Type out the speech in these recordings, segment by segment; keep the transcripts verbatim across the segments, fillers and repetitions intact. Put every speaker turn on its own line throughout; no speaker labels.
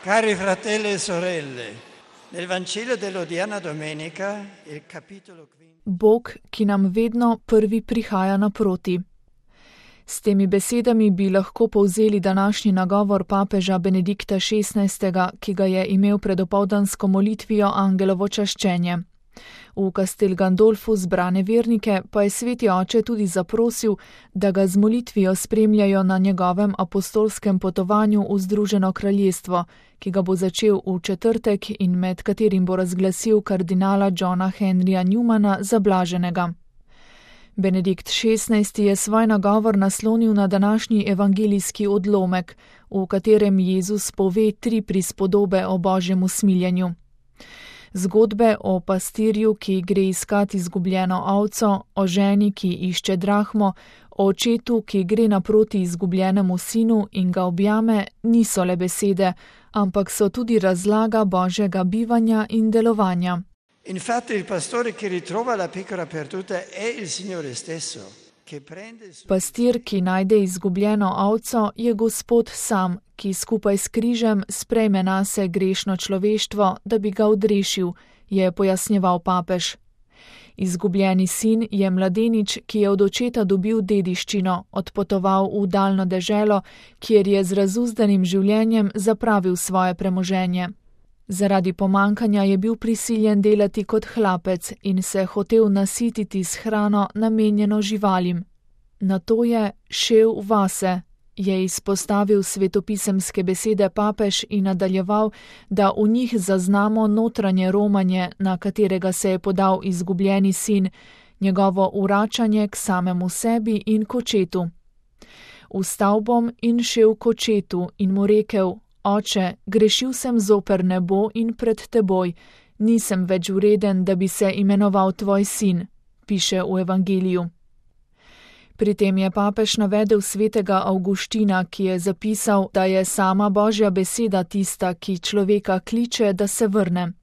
Cari fratelli e sorelle, nel Vangelo dell'odierna domenica, il capitolo quindici.
Bog, ki nam vedno prvi prihaja naproti. S temi besedami bi lahko povzeli današnji nagovor papeža Benedikta šestnajstega, ki ga je imel pred opoldansko molitvijo Angelovo čaščenje. V Castel Gandolfu zbrane vernike pa je sveti oče tudi zaprosil, da ga z molitvijo spremljajo na njegovem apostolskem potovanju v Združeno kraljestvo, ki ga bo začel v četrtek in med katerim bo razglasil kardinala Johna Henryja Newmana za blaženega. Benedikt šestnajsti je svoj nagovor naslonil na današnji evangelijski odlomek, v katerem Jezus pove tri prispodobe o božjem usmiljenju. Zgodbe o pastirju, ki gre iskat izgubljeno ovco, o ženi, ki išče drahmo, o očetu, ki gre naproti izgubljenemu sinu in ga objame, niso le besede, ampak so tudi razlaga božjega bivanja in delovanja.
Infatti il pastore che ritrova la pecora perduta è il Signore stesso.
Pastir, ki najde izgubljeno ovco, je Gospod sam, ki skupaj s križem sprejme nase grešno človeštvo, da bi ga odrešil, je pojasnjeval papež. Izgubljeni sin je mladenič, ki je od očeta dobil dediščino, odpotoval v daljno deželo, kjer je z razuzdanim življenjem zapravil svoje premoženje. Zaradi pomankanja je bil prisiljen delati kot hlapec in se hotel nasititi s hrano namenjeno živalim. Nato je šel vase, je izpostavil svetopisemske besede papež in nadaljeval, da v njih zaznamo notranje romanje, na katerega se je podal izgubljeni sin, njegovo vračanje k samemu sebi in k očetu. Vstal bom in šel k očetu in mu rekel: Oče, grešil sem zoper nebo in pred teboj, nisem več vreden, da bi se imenoval tvoj sin, piše v evangeliju. Pri tem je papež navedel svetega Avguština, ki je zapisal, da je sama božja beseda tista, ki človeka kliče, da se vrne.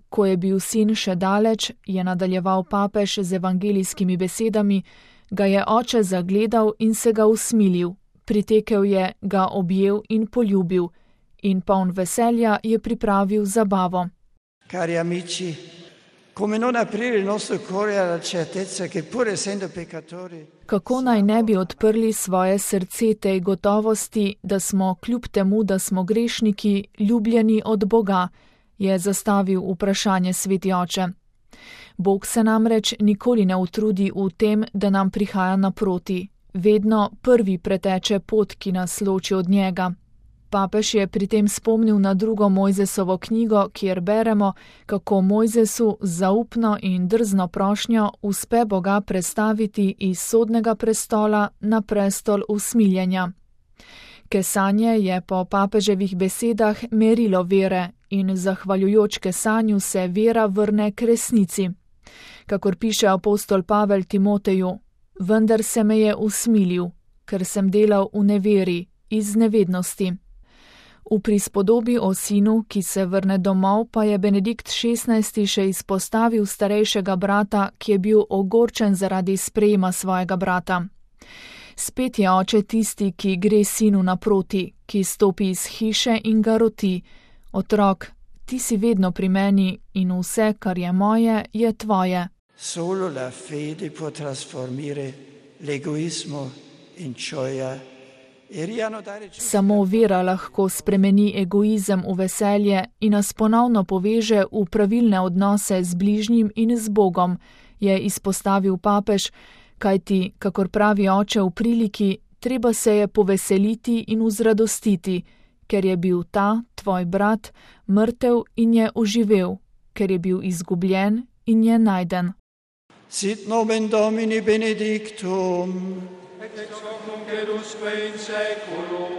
Ko je bil sin še daleč, je nadaljeval papež z evangelijskimi besedami, ga je oče zagledal in se ga usmilil, pritekel je, ga objel in poljubil, in poln veselja je pripravil zabavo.
Cari amici, come non aprire il nostro cuore alla certezza che pur essendo peccatori.
Kako naj ne bi odprli svoje srce tej gotovosti, da smo kljub temu, da smo grešniki, ljubljeni od Boga, je zastavil vprašanje sveti oče. Bog se namreč nikoli ne utrudi v tem, da nam prihaja naproti. Vedno prvi preteče pot, ki nas loči od njega. Papež je pri tem spomnil na drugo Mojzesovo knjigo, kjer beremo, kako Mojzesu z zaupno in drzno prošnjo uspe Boga prestaviti iz sodnega prestola na prestol usmiljenja. Kesanje je po papeževih besedah merilo vere in zahvaljujoč kesanju se vera vrne k resnici. Kakor piše apostol Pavel Timoteju: vendar se me je usmilil, ker sem delal v neveri, iz nevednosti. V prispodobi o sinu, ki se vrne domov, pa je Benedikt šestnajsti še izpostavil starejšega brata, ki je bil ogorčen zaradi sprejema svojega brata. Spet je oče tisti, ki gre sinu naproti, ki stopi iz hiše in ga roti: otrok, ti si vedno pri meni in vse, kar je moje, je tvoje.
Solo la fede può trasformare l'egoismo in gioia.
Samo vera lahko spremeni egoizem v veselje in nas ponovno poveže v pravilne odnose z bližnjim in z Bogom, je izpostavil papež, kajti, kakor pravi oče v priliki, treba se je poveseliti in vzradostiti, ker je bil ta, tvoj brat, mrtev in je oživel, ker je bil izgubljen in je najden.
Sit nomen Domini benedictum.
Et ex hoc nunc et usque in saeculum.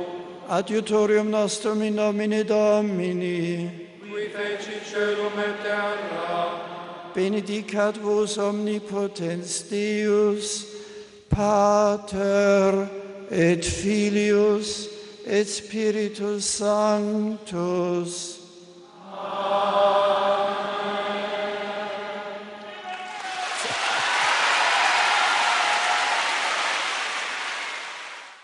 Adiutorium nostrum in nomine Domini.
Qui feci caelum et terra.
Benedicat vos omnipotens Deus, Pater et Filius et Spiritus Sanctus.